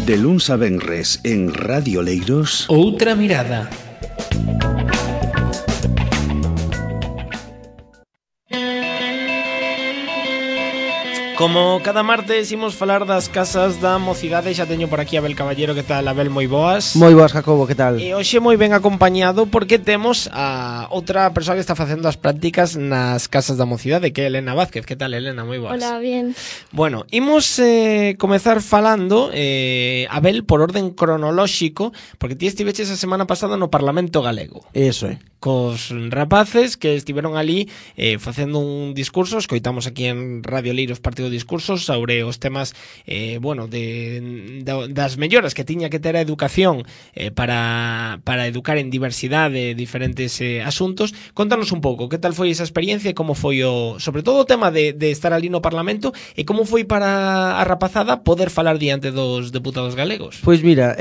De luns a venres en Radio Leiros. Outra mirada. Como cada martes imos falar das casas da mocidade, xa teño por aquí a Abel Caballero. Que tal, Abel? Moi boas. Moi boas, Jacobo, que tal? E hoxe moi ben acompañado porque temos a outra persoa que está facendo as prácticas nas casas da mocidade, que é Elena Vázquez. Que tal, Elena? Moi boas. Hola, bien. Bueno, imos comezar falando, Abel, por orden cronolóxico, porque ti estiveches a semana pasada no Parlamento Galego. Eso é. Cos rapaces que estiveron ali facendo un discurso. Escoitamos aquí en Radio Leiros parte do discurso sobre os temas das melloras que tiña que ter a educación para educar en diversidade de diferentes asuntos. Contanos un pouco, que tal foi esa experiencia e como foi sobre todo o tema de estar ali no Parlamento, e como foi para a rapazada poder falar diante dos deputados galegos. Pois mira,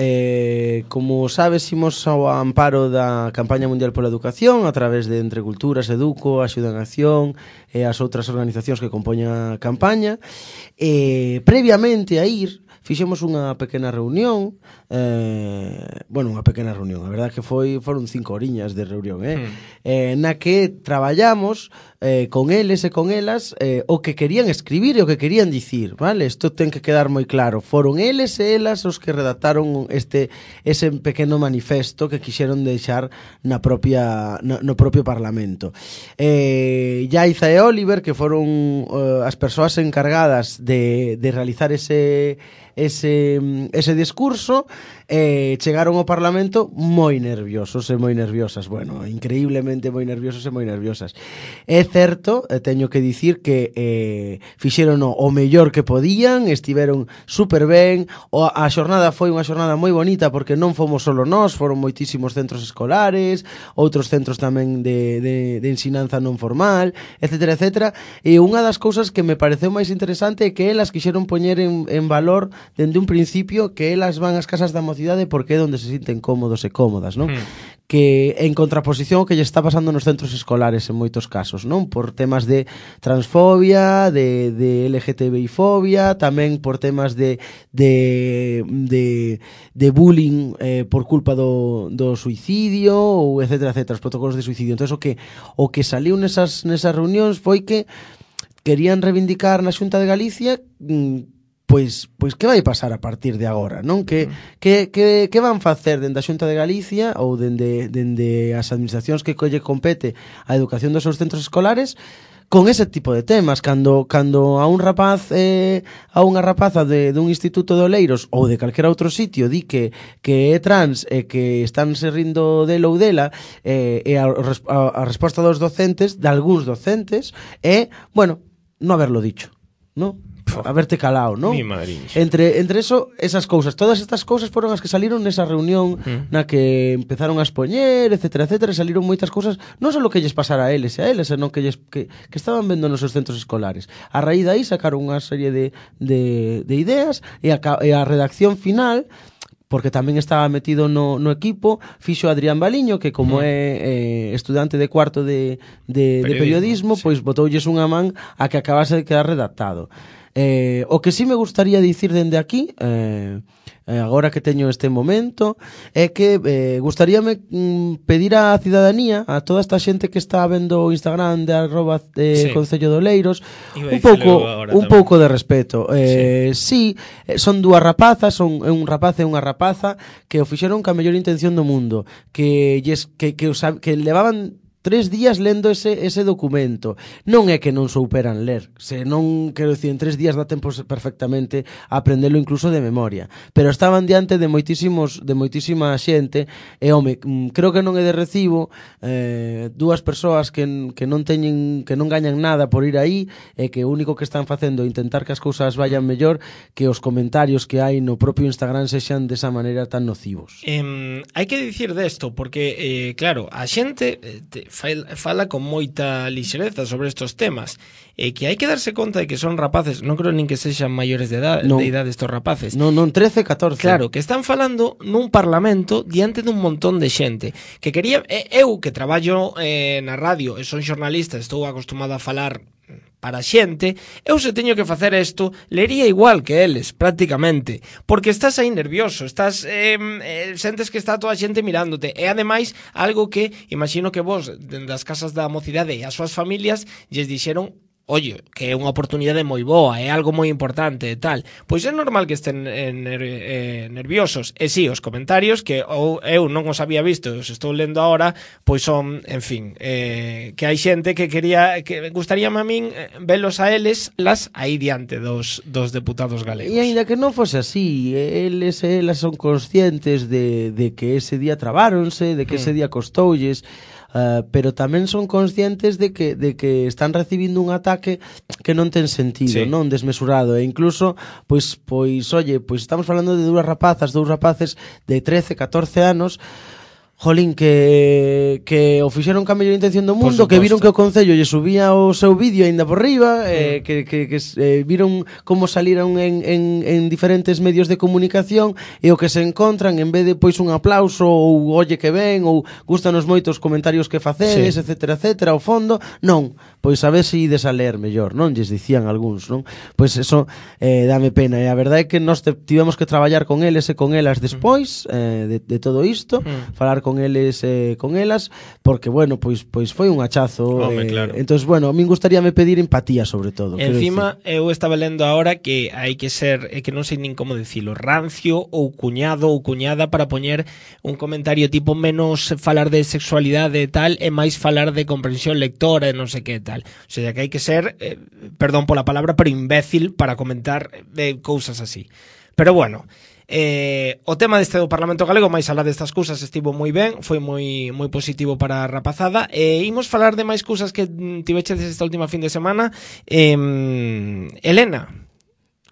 como sabes, imos ao amparo da Campaña Mundial pola Educación a través de Entre Culturas, Educo, Axuda en Acción e as outras organizacións que compoñen a campaña. Previamente a ir, fixemos unha pequena reunión, unha pequena reunión, a verdade que foron 5 horiñas de reunión, na que traballamos con eles e con elas o que querían escribir e o que querían dicir, vale? Isto ten que quedar moi claro. Foron eles e elas os que redactaron ese pequeno manifesto que quixeron deixar no propio Parlamento. Yaiza e Oliver, que foron as persoas encargadas de realizar ese discurso, chegaron ao Parlamento moi nerviosos e moi nerviosas, bueno, increíblemente moi nerviosos e moi nerviosas. É certo, teño que dicir que fixeron o mellor que podían, estiveron super ben. A xornada foi unha xornada moi bonita porque non fomos solo nós, foron moitísimos centros escolares, outros centros tamén de ensinanza non formal, etcétera, etcétera. E unha das cousas que me pareceu máis interesante é que elas quixeron poñer en valor dende un principio que elas van ás casas da mocidade porque é onde se sinten cómodos e cómodas, non? Que en contraposición ao que lle está pasando nos centros escolares en moitos casos, non? Por temas de transfobia, de LGTBI-fobia, tamén por temas de bullying por culpa do suicidio, ou etcétera, etcétera, os protocolos de suicidio. Entón, o que saliu nesas reunións foi que querían reivindicar na Xunta de Galicia pois que vai pasar a partir de agora, non? Que van facer dende a Xunta de Galicia ou dende as administracións que lle compete a educación dos seus centros escolares con ese tipo de temas, cando a un rapaz a unha rapaza dun instituto de Oleiros ou de calquera outro sitio di que é trans e que están se rindo dele ou dela, e a resposta dos docentes, de algúns docentes, é, bueno, non haberlo dicho, non? Haberte calao, non? Mi madriña. Entre eso, esas cousas, todas estas cousas foron as que saliron nesa reunión na que empezaron a expoñer, etcétera, etcétera, e saliron moitas cousas, non só lo que lles pasara a eles, senón que estaban vendo nos seus centros escolares. A raíz de aí sacaron unha serie de ideas e a redacción final, porque tamén estaba metido no equipo, fixo Adrián Baliño, que como é estudante de cuarto de periodismo, sí, pois botoulles unha man a que acabase de quedar redactado. O que sí me gustaría dicir dende aquí, agora que teño este momento, é que gustaríame pedir á cidadanía, a toda esta xente que está vendo o Instagram de @ Concello de Oleiros, un pouco de respeto. Sí, son dúas rapazas, son un rapaz e unha rapaza que o fixeron ca mellor intención do mundo, que levaban 3 días lendo ese documento. Non é que non souperan ler, se non, quero dicir, en 3 días dá tempo perfectamente a aprendelo incluso de memoria, pero estaban diante de moitísima xente e, home, creo que non é de recibo dúas persoas que non gañan nada por ir aí e que o único que están facendo é intentar que as cousas vayan mellor, que os comentarios que hai no propio Instagram sexan desa maneira tan nocivos. Hai que dicir desto porque, claro, a xente fala con moita lixereza sobre estos temas, que hai que darse conta de que son rapaces, non creo nin que sexan maiores de idade estos rapaces. Non, 13, 14. Claro, que están falando nun parlamento diante dun montón de xente que quería. Eu que traballo na radio e son xornalista, estou acostumado a falar para a xente, eu se teño que facer isto, lería igual que eles, prácticamente, porque estás aí nervioso, estás sentes que está toda a xente mirándote, e ademais algo que imagino que vos, das casas da mocidade e as súas familias, lles dixeron oye, que é unha oportunidade moi boa, é algo moi importante e tal, pois é normal que estén nerviosos. E si, os comentarios que eu non os había visto, os estou lendo agora, pois son, en fin, que hai xente que gustaríame a min velos a eles las aí diante dos deputados galegos. E aínda que non fose así, eles e elas son conscientes de que ese día trabáronse, de que ese día costoulles, pero tamén son conscientes de que están recibindo un ataque que non ten sentido, non desmesurado, e incluso pois estamos falando de dous rapaces de 13, 14 anos, jolín, que o fixeron ca mellor intención do mundo, que viron que o Concello lle subía o seu vídeo aínda por riba, que viron como saliron en diferentes medios de comunicación, e o que se encontran, en vez de pois un aplauso ou olle que ben, ou gustanos moito os comentarios que facedes, etcétera, etcétera, ao fondo, non, pois a ver se ides a ler mellor, non? Lles dicían algúns, non? Pois eso dame pena, e a verdade é que nós tivemos que traballar con eles e con elas despois de todo isto, falar con eles e con elas, porque, bueno, pois foi un hachazo. Claro. Entonces, bueno, a min gustaríame pedir empatía, sobre todo. Encima, eu estaba lendo agora que hai que ser, que non sei nin como dicilo, rancio ou cuñado ou cuñada para poñer un comentario tipo menos falar de sexualidade e tal, e máis falar de comprensión lectora e non sei que tal. O sea, que hai que ser, perdón pola palabra, pero imbécil para comentar cousas así. Pero bueno, o tema deste do Parlamento Galego, máis alá destas cousas, estivo moi ben, foi moi positivo para a rapazada, e imos falar de máis cousas que tiveches esta última fin de semana. Elena,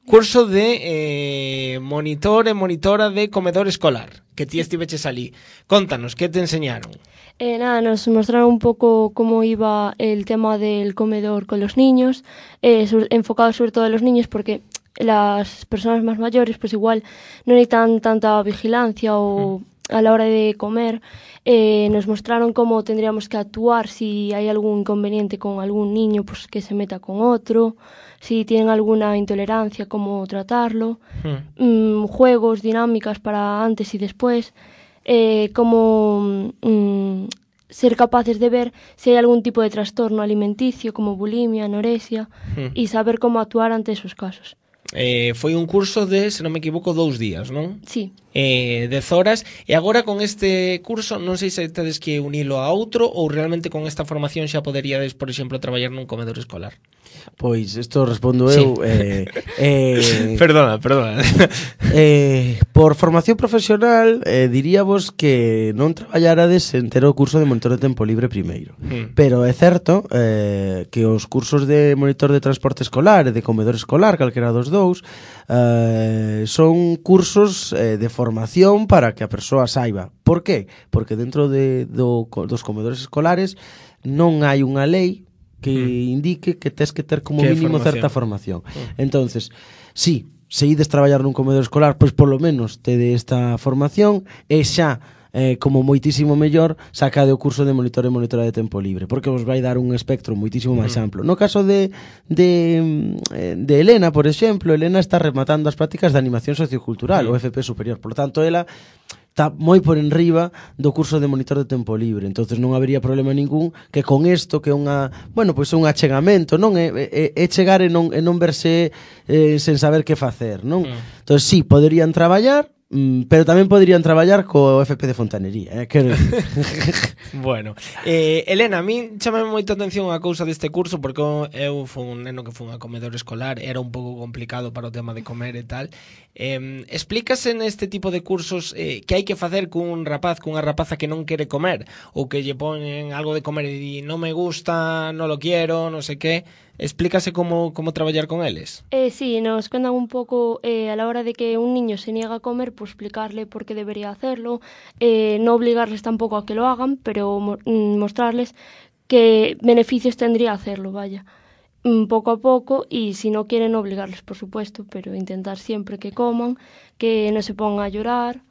curso de monitor e monitora de comedor escolar, que ti estiveches ali. Contanos, que te enseñaron? Nos mostraron un poco cómo iba el tema del comedor con los niños, enfocado sobre todo a los niños, porque las personas más mayores pues igual no necesitan tanta vigilancia o a la hora de comer. Nos mostraron cómo tendríamos que actuar si hay algún inconveniente con algún niño, pues que se meta con otro, si tienen alguna intolerancia, cómo tratarlo, juegos, dinámicas para antes y después, cómo ser capaces de ver si hay algún tipo de trastorno alimenticio como bulimia, anorexia, y saber cómo actuar ante esos casos. Foi un curso de, se non me equivoco, 2 días, non? Sí. 10 horas, e agora con este curso non sei se tedes que unilo a outro ou realmente con esta formación xa poderíades, por exemplo, traballar nun comedor escolar. Pois, isto respondo eu. Perdona. Por formación profesional, diríamos que non traballarades en ter o curso de monitor de tempo libre primeiro. Pero é certo que os cursos de monitor de transporte escolar e de comedor escolar, calquera dos dous, son cursos de formación para que a persoa saiba. Por qué? Porque dentro dos comedores escolares non hai unha lei que indique que tes que ter como mínimo certa formación. Entonces, sí, se ides traballar nun comedor escolar, pois polo menos tede esta formación e xa como moitísimo mellor sacade o curso de monitor e monitora de tempo libre, porque vos vai dar un espectro moitísimo máis amplo. No caso de Elena, por exemplo, Elena está rematando as prácticas de animación sociocultural, o FP superior, por tanto, ela está moi por enriba do curso de monitor de tempo libre, entonces non habería problema ningún que con isto, que é unha, bueno, pois un achegamento, non é chegar e non verse sen saber que facer, non? Entonces sí, poderían traballar, pero tamén poderían traballar co FP de fontanería, quero decir. Bueno, Elena, a min chamame moita atención a cousa deste curso, porque eu fui un neno que fui a comedor escolar, era un pouco complicado para o tema de comer e tal. Explícase neste tipo de cursos que hai que facer cunha rapaza que non quere comer, ou que lle ponen algo de comer e di non me gusta, non lo quiero, non sei que. Explícase como traballar con eles. Sí, nos cuentan un poco a la hora de que un niño se niega a comer, pues explicarle por qué debería hacerlo, no obligarles tampoco a que lo hagan, pero mostrarles qué beneficios tendría hacerlo, vaya, poco a poco, y si no quieren obligarles, por supuesto, pero intentar siempre que coman, que no se pongan a llorar,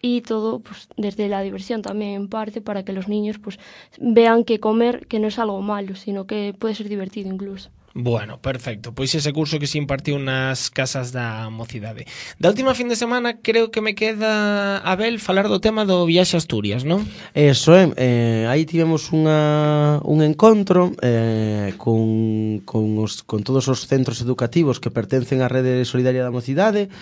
y todo pues desde la diversión también en parte, para que los niños pues vean que comer que no es algo malo, sino que puede ser divertido incluso. Bueno, perfecto. Pois ese curso que se impartiu nas casas da mocidade. Da última fin de semana creo que me queda, Abel, falar do tema do viaxe a Asturias, non? Eso aí tivemos un encontro con todos os centros educativos que pertencen á Rede Solidaria da Mocidade.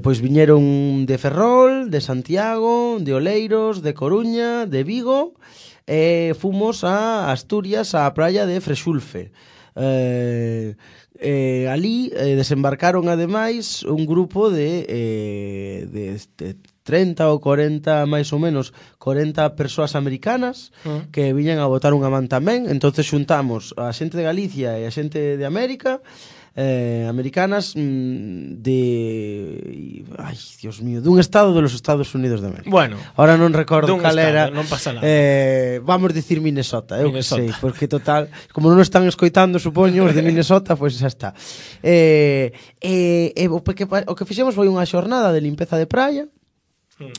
Pois viñeron de Ferrol, de Santiago, de Oleiros, de Coruña, de Vigo. Fomos a Asturias, á praia de Frexulfe. Ali desembarcaron ademais un grupo de 30 ou 40, máis ou menos 40 persoas americanas que viñan a botar unha man tamén. Entonces xuntamos a xente de Galicia e a xente de América, americanas ay, Dios mío, dun estado de los Estados Unidos de América. Bueno, ahora non recordo cal era. Non pasa nada. Vamos dicir Minnesota, eu que sei, Minnesota. porque total, como non están escoitando, supoño, os de Minnesota, pois xa está. O que fixemos foi unha xornada de limpeza de praia.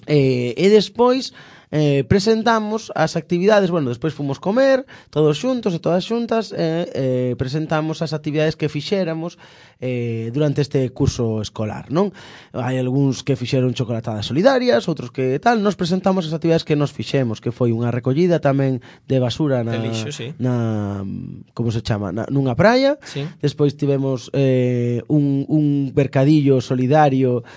E despois presentamos as actividades, bueno, despois fomos comer todos xuntos e todas xuntas, presentamos as actividades que fixéramos durante este curso escolar, non? Hai algúns que fixeron chocolatadas solidarias, outros que tal. Nos presentamos as actividades que nos fixemos, que foi unha recollida tamén de basura de lixo, sí. como se chama, nunha praia. Sí. Despois tivemos un mercadillo solidario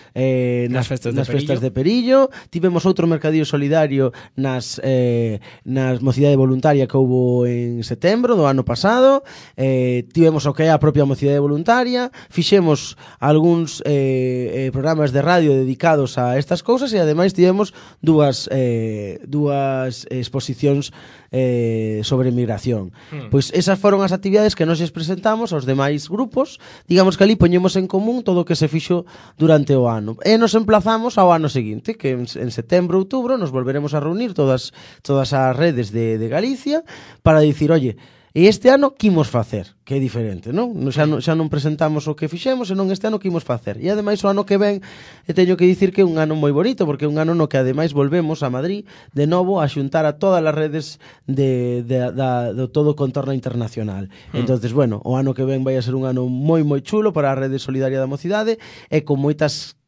nas festas de Perillo. Tivemos outro mercadillo solidario nas mocidade voluntaria que houbo en setembro do ano pasado. Tivemos o que é a propia mocidade voluntaria. Fixemos algúns programas de radio dedicados a estas cousas e ademais tivemos dúas exposicións sobre migración. Pois esas foron as actividades que nos presentamos aos demais grupos. Digamos que ali poñemos en común todo o que se fixo durante o ano e nos emplazamos ao ano seguinte, que en setembro, outubro nos volveremos a reunir todas as redes de Galicia para dicir, oye, e este ano que imos facer, que é diferente, non? Xa non presentamos o que fixemos, senón este ano que imos facer. E ademais o ano que ven teño que dicir que é un ano moi bonito, porque é un ano no que ademais volvemos a Madrid de novo a xuntar a todas as redes do todo o contorno internacional. Entonces, bueno, o ano que ven vai a ser un ano moi moi chulo para a Rede Solidaria da Mocidade e con moitas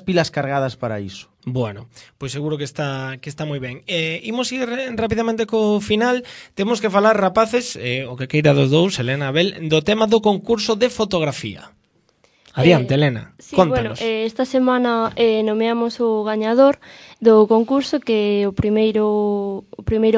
pilas cargadas para iso. Bueno, pois seguro que está moi ben. Imos ir rapidamente co final. Temos que falar, rapaces, o que queira dos dous, Elena, Abel, do tema do concurso de fotografía. Adiante, Elena, sí, contanos. Bueno, esta semana nomeamos o gañador do concurso, que o primeiro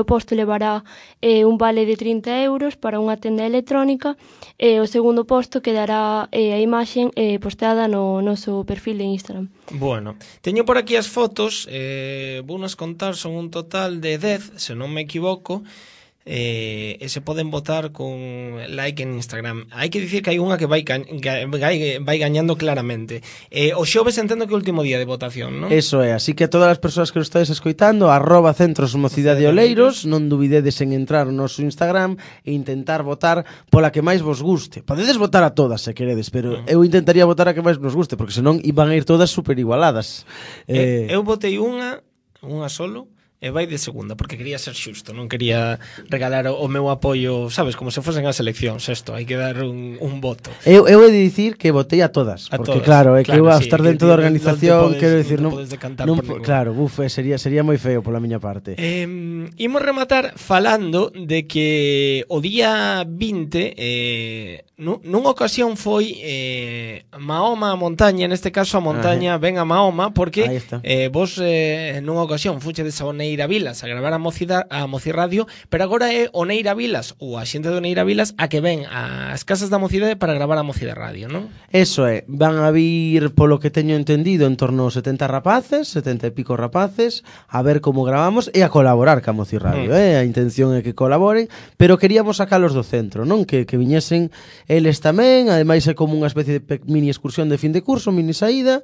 posto levará un vale de 30 euros para unha tenda electrónica e o segundo posto quedará a imaxen postada no noso perfil de Instagram. Bueno, teño por aquí as fotos, vounas contar, son un total de 10, se non me equivoco, e se poden votar con like en Instagram. Hai que dicir que hai unha que vai gañando claramente. O xoves entendo que é o último día de votación, non? Eso é, así que a todas as persoas que nos estades escoitando, @centros mocidade Oleiros, non dubidedes en entrar no noso Instagram e intentar votar pola que máis vos guste. Podedes votar a todas se queredes, pero eu intentaría votar a que máis nos guste, porque senón iban a ir todas super igualadas. Eu votei unha solo, e vai de segunda, porque quería ser xusto, non quería regalar o meu apoio, sabes, como se fosen as eleccións, isto, hai que dar un voto. Eu he de dicir que votei a todas, porque claro, é que eu a estar dentro da organización, quero dicir, non claro, sería moi feo pola miña parte. Imos rematar falando de que o día 20 nunha ocasión foi Mahoma a montaña, neste caso a montaña ven a Mahoma, porque vos nunha ocasión fuchedes a Oneira Vilas a gravar a Mocirradio, pero agora é Oneira Vilas ou a xente de Oneira Vilas a que ven ás casas da mocidade para gravar a Mocide Radio, non? Eso é, van a vir, polo que teño entendido, en torno a 70 e pico rapaces, a ver como gravamos e a colaborar ca Mocirradio, a intención é que colaboren, pero queríamos sacalos do centro, non? Que viñesen eles tamén, ademais é como unha especie de mini excursión de fin de curso, mini saída,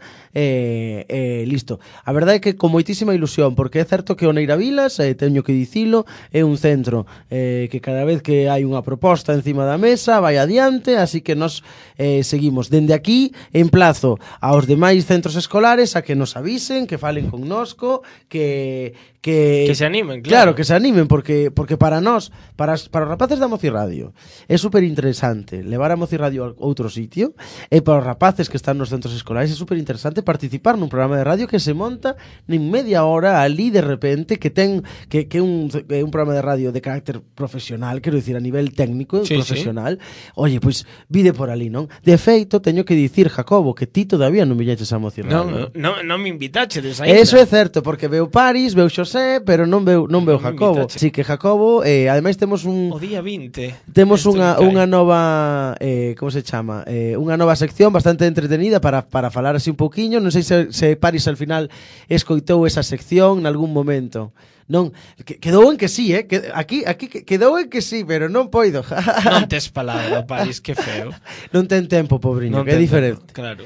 listo. A verdade é que con moitísima ilusión, porque é certo que o Neiravilas, teño que dicilo, é un centro que cada vez que hai unha proposta encima da mesa vai adiante, así que nos seguimos. Dende aquí, emplazo aos demais centros escolares a que nos avisen, que falen connosco, que se animen, claro, que se animen, porque para nós, para os rapaces da Mocirradio, é super interesante levar a Mocirradio a outro sitio, e para os rapaces que están nos centros escolares é super interesante participar nun programa de radio que se monta nin media hora ali de repente, que ten que un programa de radio de carácter profesional, quero dicir, a nivel técnico, profesional. Oye, pois vide por ali, non? De feito, teño que dicir, Jacobo, que ti todavía non viñeches a Mocirradio. Non me invitaches aí. Eso é certo, porque veu Paris, veu Xosé, pero non veu Jacobo. Sí, que Jacobo, ademais temos o día 20. Temos unha nova como se chama? Unha nova sección bastante entretenida para falar así un pouquiño. Non sei se Paris al final escoitou esa sección nalgún momento. Non, quedou en que sí, aquí quedou en que sí, pero non poido. Non tes palabra, Paris, que feo. Non ten tempo, pobriño, que é diferente. Claro.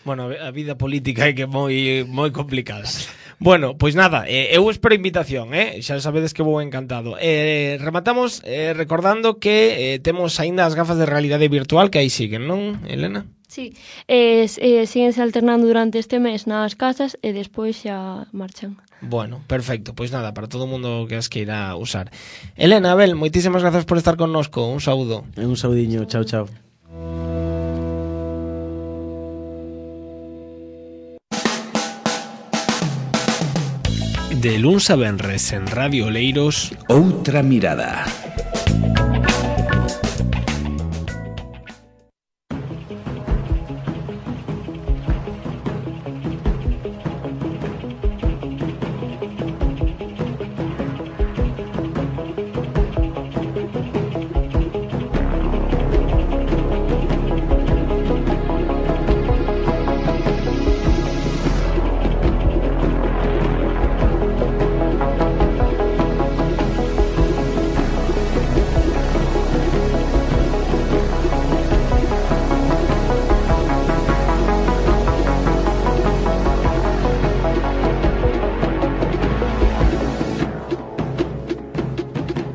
Bueno, a vida política é que é moi complicada. Bueno, pois nada, eu espero invitación, xa sabedes que vou encantado. Rematamos recordando que temos aínda as gafas de realidade virtual que aí siguen, non, Elena? Sí, síguense alternando durante este mes nas casas e despois xa marchan. Bueno, perfecto, pois nada, para todo o mundo que as queira usar. Elena, Abel, moitísimas grazas por estar connosco, un saúdo. Un saudiño, chao, chao. De luns a venres en Radio Oleiros, Outra mirada.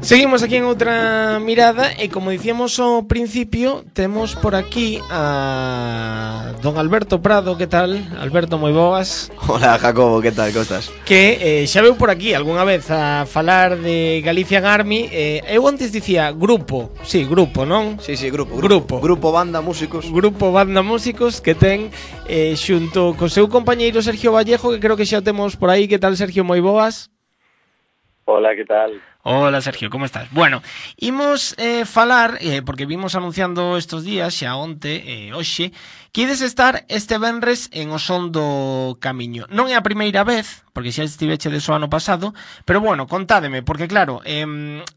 Seguimos aquí en outra mirada e como dicíamos ao principio, temos por aquí a don Alberto Prado. Que tal? Alberto, moi boas. Hola, Jacobo, que tal, costas? Que xa veu por aquí algunha vez a falar de Galician Army. Eu antes dicía grupo, sí, grupo, non? Sí, grupo banda músicos. Grupo banda músicos que ten xunto co seu compañeiro Sergio Vallejo, que creo que xa o temos por aí. Que tal, Sergio, moi boas? Hola, que tal? Hola, Sergio, como estás? Bueno, imos falar, porque vimos anunciando estos días, xa onte, hoxe, que ides estar este venres en O Son do Camiño. Non é a primeira vez, porque xa estiveche de o ano pasado, pero bueno, contádeme, porque claro,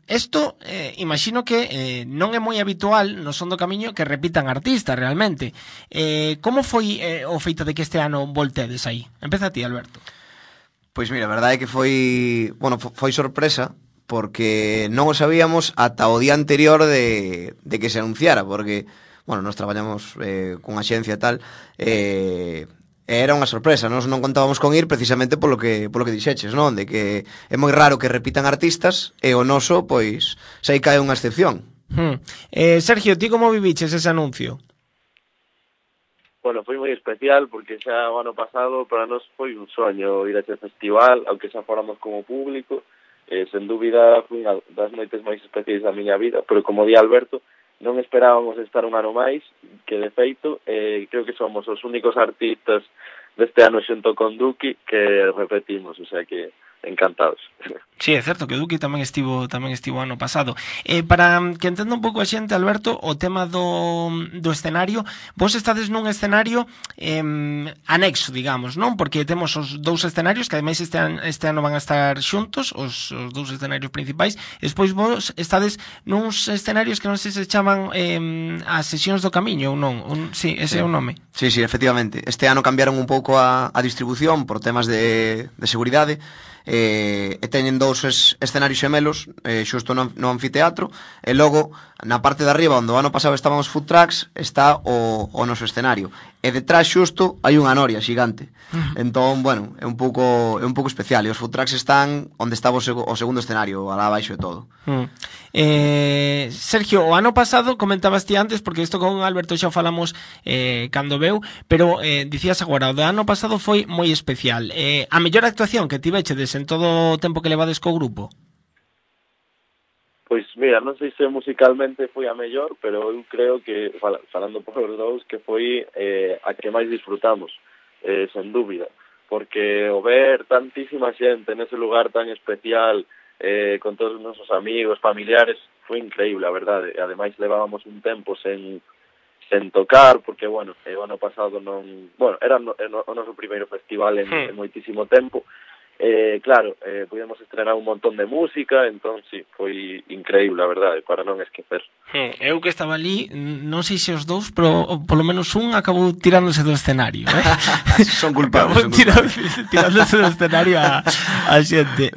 isto, imagino que non é moi habitual no Son do Camiño que repitan artistas realmente. Como foi o feito de que este ano voltedes aí? Empeza ti, Alberto. Pois mira, a verdade é que foi sorpresa, porque non o sabíamos ata o día anterior de que se anunciara, porque, bueno, nós traballamos con axencia e tal, era unha sorpresa, nós non contábamos con ir precisamente polo que dixeches, non? De que é moi raro que repitan artistas, e o noso, pois, xa aí cae unha excepción. Sergio, ti como viviches ese anuncio? Bueno, foi moi especial porque xa o ano pasado para nós foi un soño ir a este festival, aunque xa fóramos como público. Sen dúbida foi unha das noites máis especiais da miña vida, pero como di Alberto, non esperábamos estar un ano máis, que de feito creo que somos os únicos artistas deste ano xunto con Duki que repetimos, o sea que encantados. Sí, é certo que Duki tamén estivo ano pasado. Para que entenda un pouco a xente, Alberto, o tema do escenario, vos estades nun escenario anexo, digamos, non? Porque temos os dous escenarios que ademais este ano van a estar xuntos, os dous escenarios principais, e despois vos estades nuns escenarios que non sei se chaman as sesións do camiño ou non. Sí, ese é o nome. Sí, efectivamente. Este ano cambiaron un pouco a distribución por temas de seguridade. e teñen dous escenarios xemelos xusto no anfiteatro, e logo na parte de arriba onde o ano pasado estaban os food trucks está o noso escenario, e detrás xusto hai unha noria xigante. Entón, bueno, é un pouco especial, e os food trucks están onde estaba o segundo escenario, alá abaixo e todo. Sergio, o ano pasado comentabas ti antes, porque isto con Alberto xa falamos cando veu, pero dicías agora, o do ano pasado foi moi especial. A mellor actuación que tivechedes en todo o tempo que levades co grupo? Pois mira, non sei se musicalmente foi a mellor, pero eu creo que, falando por os dous, que foi a que máis disfrutamos, sen dúbida, porque o ver tantísima xente nese lugar tan especial, con todos os nosos amigos, familiares, foi increíble, a verdade. E ademais levábamos un tempo sen tocar, porque, bueno, o ano pasado non... Bueno, era o noso primeiro festival en moitísimo tempo. Claro, pudemos estrenar un montón de música, entón, sí, foi increíble, a verdade, para non esquecer. Eu que estaba ali, non sei se os dous, pero polo menos un acabou tirándose do escenario, Son culpables. tirándose do escenario a xente.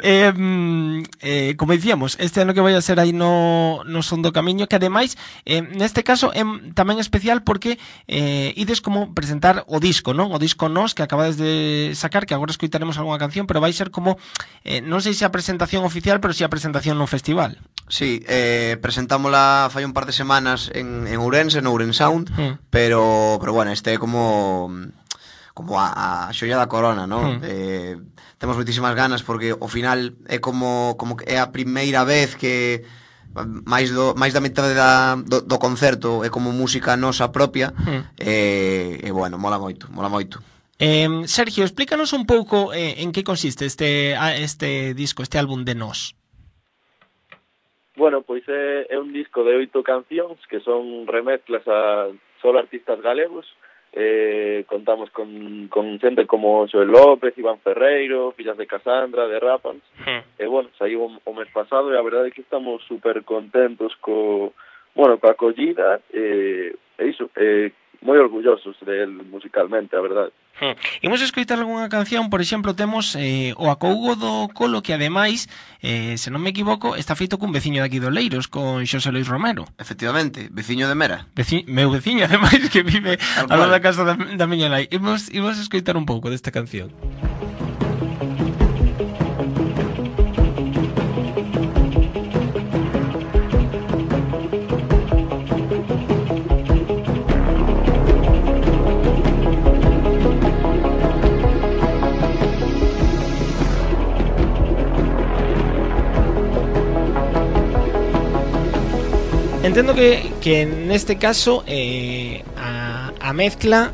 Como dicíamos, este ano que vai a ser aí no Son do Camiño, que ademais, neste caso, é tamén especial porque ides como presentar o disco, non? O disco Nos, que acabades de sacar, que agora escoitaremos algunha canción, pero vai ser como, non sei se a presentación oficial, pero si a presentación no festival. Sí, presentámola fai un par de semanas en Ourense, no Ourense Sound, pero bueno, este é como a xoia da corona, non? Temos moitísimas ganas porque ao final é como que é a primeira vez que máis da metade do concerto é como música nosa propia, e bueno, mola moito. Sergio, explícanos un pouco en que consiste este disco, este álbum de Nos. Bueno, pois é un disco de 8 cancións que son remezclas a solo artistas galegos. Contamos con xente como Xoel López, Iván Ferreiro, Fillas de Casandra, de Rapans. E bueno, saiu o mes pasado e a verdade é que estamos super contentos coa acollida e iso, moi orgullosos del musicalmente, a verdade. Imos escoitar algunha canción, por exemplo, temos o Acougo do Colo, que ademais, se non me equivoco, está feito cun veciño de aquí do Leiros, con Xosé Luis Romero. Efectivamente, veciño de Mera. Meu veciño, ademais, que vive ao lado da casa da miña nai. Imos escoitar un pouco desta canción. Entendo que neste caso a mezcla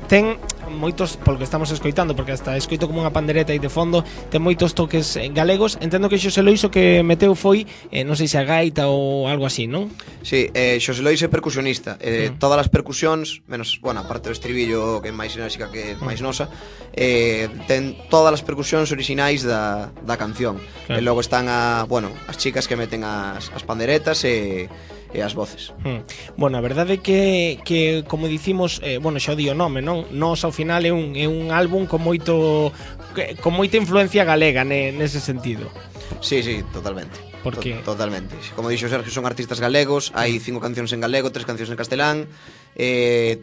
ten moitos, polo que estamos escoitando, porque hasta escoito como unha pandereta aí de fondo, ten moitos toques galegos. Entendo que Xosé Lois o que meteu foi, non sei se a gaita ou algo así, non? Sí, Xosé Lois é percusionista. Todas as percusións, menos, bueno, aparte do estribillo, que é máis enérxica que máis nosa, ten todas as percusións orixinais da canción. Claro. E logo están as chicas que meten as panderetas e as voces. Bueno, a verdade é que como dicimos, xa o di o nome, non? Nos ao final é un álbum con moita influencia galega nese sentido. Sí, totalmente. Totalmente. Como dixo Sergio, son artistas galegos, hai 5 cancións en galego, 3 cancións en castelán,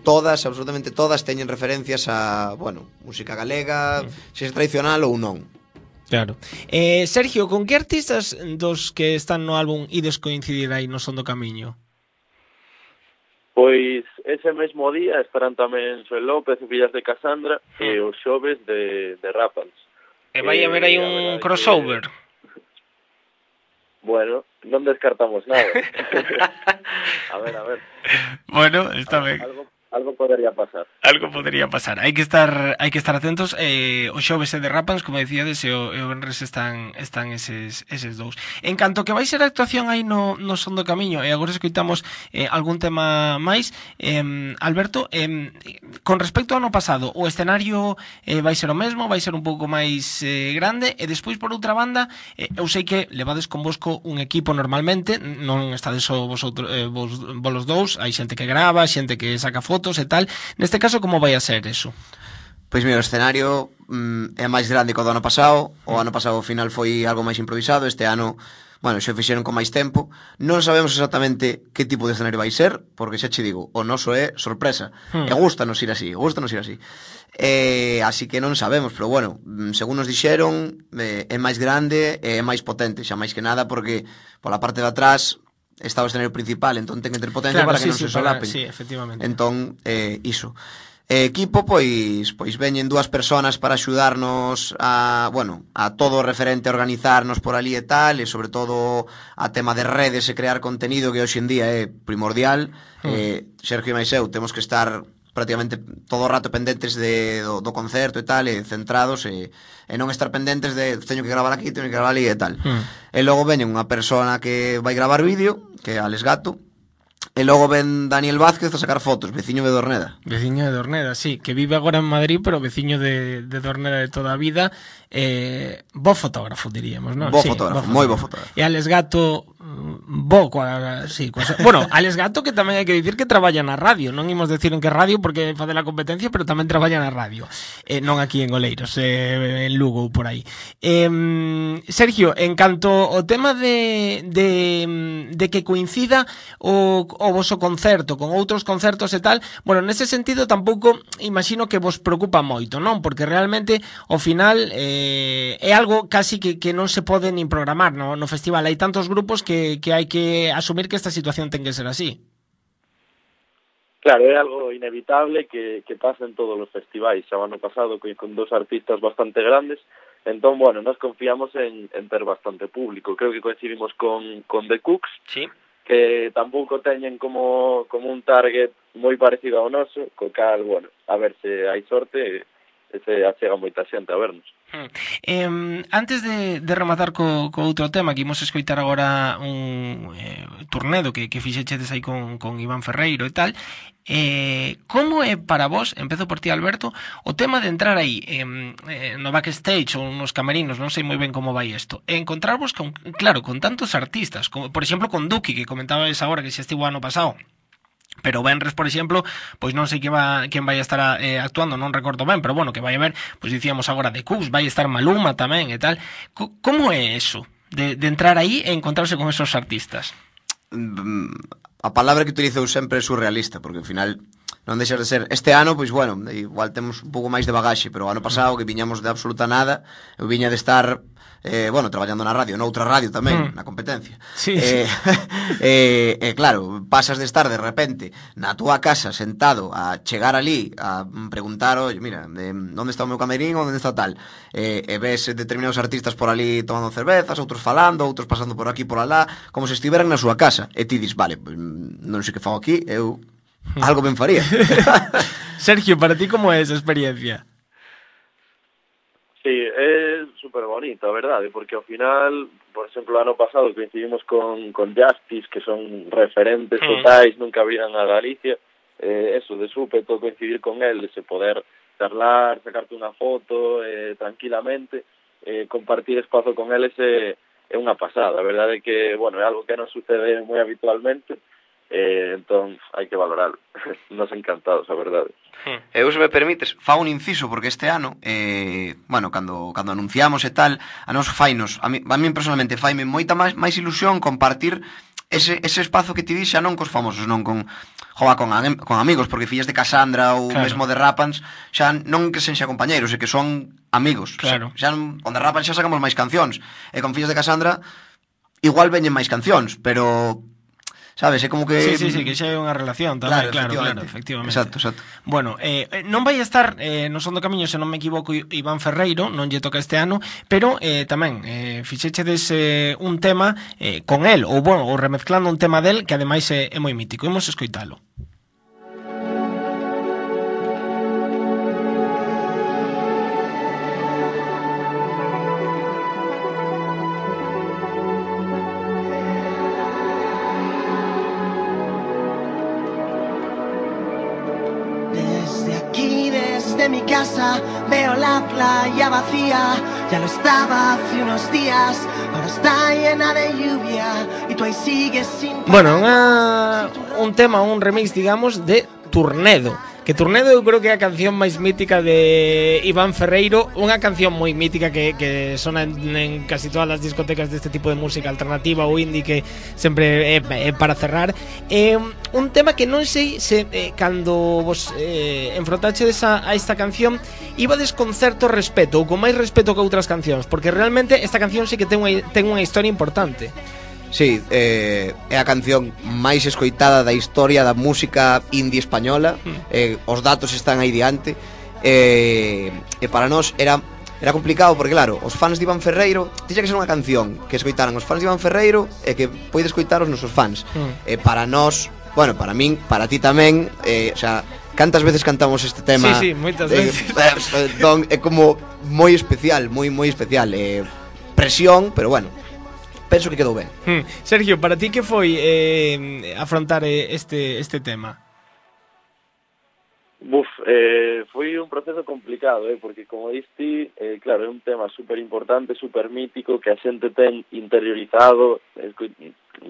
todas, absolutamente todas, teñen referencias a, música galega, se é tradicional ou non. Claro. Sergio, con que artistas dos que están no álbum ides coincidir aí no Son do Camiño? Pois ese mesmo día estarán tamén Xoel López e Fillas de Casandra e os xoves de Rapans. E vai haber aí un crossover. Bueno, non descartamos nada. A ver. Bueno, está ben. Algo podría pasar. Hai que estar atentos. O xoves é de Rapans, como decíades, e o venres están eses dous. En canto que vai ser a actuación aí no Son do Camiño, e agora escoitamos algún tema máis, Alberto, con respecto ao ano pasado, o escenario vai ser o mesmo, vai ser un pouco máis grande, e despois, por outra banda, eu sei que levades convosco un equipo normalmente, non estades só vos dous, hai xente que grava, xente que saca fotos e tal. Neste caso, como vai a ser eso? Pois mira, o escenario é máis grande que o do ano pasado. O ano pasado ao final foi algo máis improvisado. Este ano, bueno, xa fixeron con máis tempo. Non sabemos exactamente que tipo de escenario vai ser, porque xa che digo, o noso é sorpresa. E gústanos ir así, así que non sabemos, pero bueno, según nos dixeron, é máis grande e é máis potente, xa máis que nada, porque pola parte de atrás está o escenario principal, entón ten que ter potencia para que non se solapen. Sí, efectivamente. Entón, iso. Equipo, pois veñen 2 personas para axudarnos a todo o referente a organizarnos por ali e tal, e sobre todo a tema de redes e crear contenido, que hoxe en día é primordial. Sergio e máis eu temos que estar prácticamente todo o rato pendentes do concerto e tal, e centrados, e non estar pendentes de teño que gravar aquí, teño que gravar ali e tal. E logo veñen unha persona que vai gravar vídeo, que é Alex Gato. E logo ven Daniel Vázquez a sacar fotos, veciño de Dorneda. Veciño de Dorneda, sí, que vive agora en Madrid, pero veciño de Dorneda de toda a vida. Bo fotógrafo, diríamos, non? Bo fotógrafo, moi bo fotógrafo. E Alex Gato, bueno, Alex Gato, que tamén hai que dicir que traballa na radio. Non imos decir en que radio porque fade la competencia, pero tamén traballa na radio. Non aquí en Oleiros, en Lugo ou por aí. Sergio, en canto ao tema de que coincida o voso concerto con outros concertos e tal, bueno, nese sentido tampouco imagino que vos preocupa moito, non? Porque realmente ao final é algo casi que non se pode nin programar no festival. Hai tantos grupos que hai que asumir que esta situación ten que ser así. Claro, é algo inevitable que pasa en todos os festivais. Xa o ano pasado con 2 artistas bastante grandes, entón, bueno, nos confiamos en ter bastante público. Creo que coincidimos con The Cooks, sí, que tampouco teñen como un target moi parecido ao noso, co cal, bueno, a ver se hai sorte e se achega moita xente a vernos. Antes de rematar co outro tema, que imos escoitar agora un turnedo que fixechedes aí con Iván Ferreiro e tal, como é para vos, empezo por ti, Alberto, o tema de entrar aí no backstage ou nos camerinos, non sei moi ben como vai isto, e encontrarvos con tantos artistas, como, por exemplo, con Duki, que comentabas agora que xa estivo ano pasado, pero Benres, por exemplo, pois non sei quen vai a estar actuando, non recordo ben, pero bueno, que vai haber, pois dicíamos agora de Cooks, vai estar Maluma tamén e tal. Como é eso de entrar aí e encontrarse con esos artistas? A palabra que utilizo sempre é surrealista, porque ao final non deixas de ser. Este ano, pois bueno, igual temos un pouco máis de bagaxe, pero o ano pasado que viñamos de absoluta nada, eu viña de estar traballando na radio, noutra radio tamén, na competencia. Sí. Claro, pasas de estar de repente na túa casa sentado a chegar ali a preguntar, oye, mira, onde está o meu camerín, onde está tal, e ves determinados artistas por ali tomando cervezas, outros falando, outros pasando por aquí por alá, como se estiveran na súa casa, e ti dis, vale, pues, non sei que fago aquí, eu algo ben faría. Sergio, para ti como é esa experiencia? Sí, é super bonito, a verdade, porque ao final, por exemplo, o ano pasado coincidimos con Justice, que son referentes totais, nunca viran a Galicia, eso, de súpeto coincidir con el, de se poder charlar, sacarte unha foto tranquilamente, compartir espazo con eles é unha pasada, a verdade é que, bueno, é algo que non sucede moi habitualmente, entón hai que valorarlo. Nos encantados, a verdade. Eu, se me permites, fa un inciso, porque este ano, cando anunciamos e tal, a nos fainos, a mí personalmente faime moita máis ilusión compartir ese espazo que ti dis xa non cos famosos, non con amigos, porque fillas de Cassandra ou mesmo de Rapans, xa non que sen xa compañeiros, e que son amigos. Claro. Xa con de Rapans xa sacamos máis cancións, e con fillas de Cassandra igual veñen máis cancións, pero sabes, é como que... Sí, que xa é unha relación tamén, claro, efectivamente. Exacto. Bueno, non vai estar no Son do Camiño, se non me equivoco, Iván Ferreiro, non lle toca este ano, pero tamén fixechedes un tema con el, ou remezclando un tema del, que ademais é moi mítico. Imos escoitalo. Mi casa, veo la playa vacía, ya lo estaba hace unos días, ahora está llena de lluvia y tú ahí sigues sin... Bueno, un tema, un remix, digamos, de Turnedo. Que Tornado eu creo que é a canción máis mítica de Iván Ferreiro, unha canción moi mítica que sona en casi todas as discotecas deste tipo de música alternativa ou indie, que sempre é para cerrar. Un tema que non sei se cando vos enfrontachedes a esta canción ibades con certo respeto ou con máis respeto que outras cancións, porque realmente esta canción sí que ten unha historia importante. Sí, é a canción máis escoitada da historia da música indie española. Os datos están aí diante. E para nós era complicado, porque claro, os fans de Iván Ferreiro tiña que ser unha canción que escoitaran os fans de Iván Ferreiro e que poide escoitar os nosos fans. Para nós, bueno, para min, para ti tamén, o sea, cantas veces cantamos este tema? Sí, moitas veces. Entón, é como moi especial, moi especial. Presión, pero bueno, penso que quedou ben. Sergio, para ti que foi afrontar este tema? Foi un proceso complicado, porque como diste, claro, é un tema super importante, super mítico, que a xente ten interiorizado,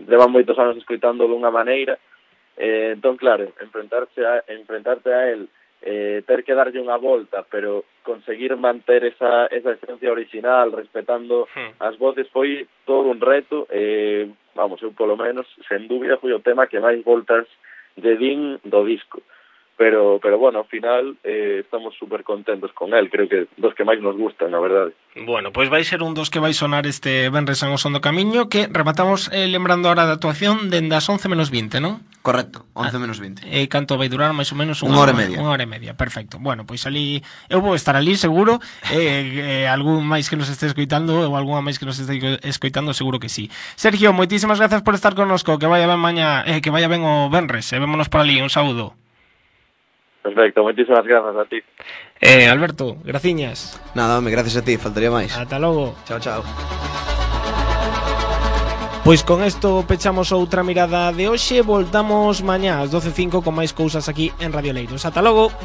levan moitos anos escoitando dunha maneira, entón, claro, enfrentarte a él, ter que darlle unha volta, pero conseguir manter esa esencia original, respetando as voces, foi todo un reto. Vamos, eu polo menos, sen dúbida, foi o tema que máis voltas lle din do disco. Pero bueno, ao final estamos super contentos con él, creo que dos que máis nos gustan, na verdade. Bueno, pois vai ser un dos que vai sonar este venres en O Son do Camiño, que rematamos lembrando ahora da actuación dende as 11 menos 20, non? Correcto, 11 menos 20. E canto vai durar máis ou menos unha hora e media. Unha hora e media, perfecto. Bueno, pois ali, eu vou estar ali seguro, algún máis que nos este escoitando ou algunha máis que nos este escoitando, seguro que sí. Sergio, moitísimas grazas por estar connosco, que vaya ben mañá, que vaya ben o venres, e vémonos por ali, un saúdo. Perfecto, moitísimas grazas a ti. Alberto, graciñas. Nada, home, gracias a ti, faltaría máis. Ata logo. Chao. Pois con isto pechamos outra mirada de hoxe. Voltamos mañá ás 12:05 con máis cousas aquí en Radio Leiros. Ata logo.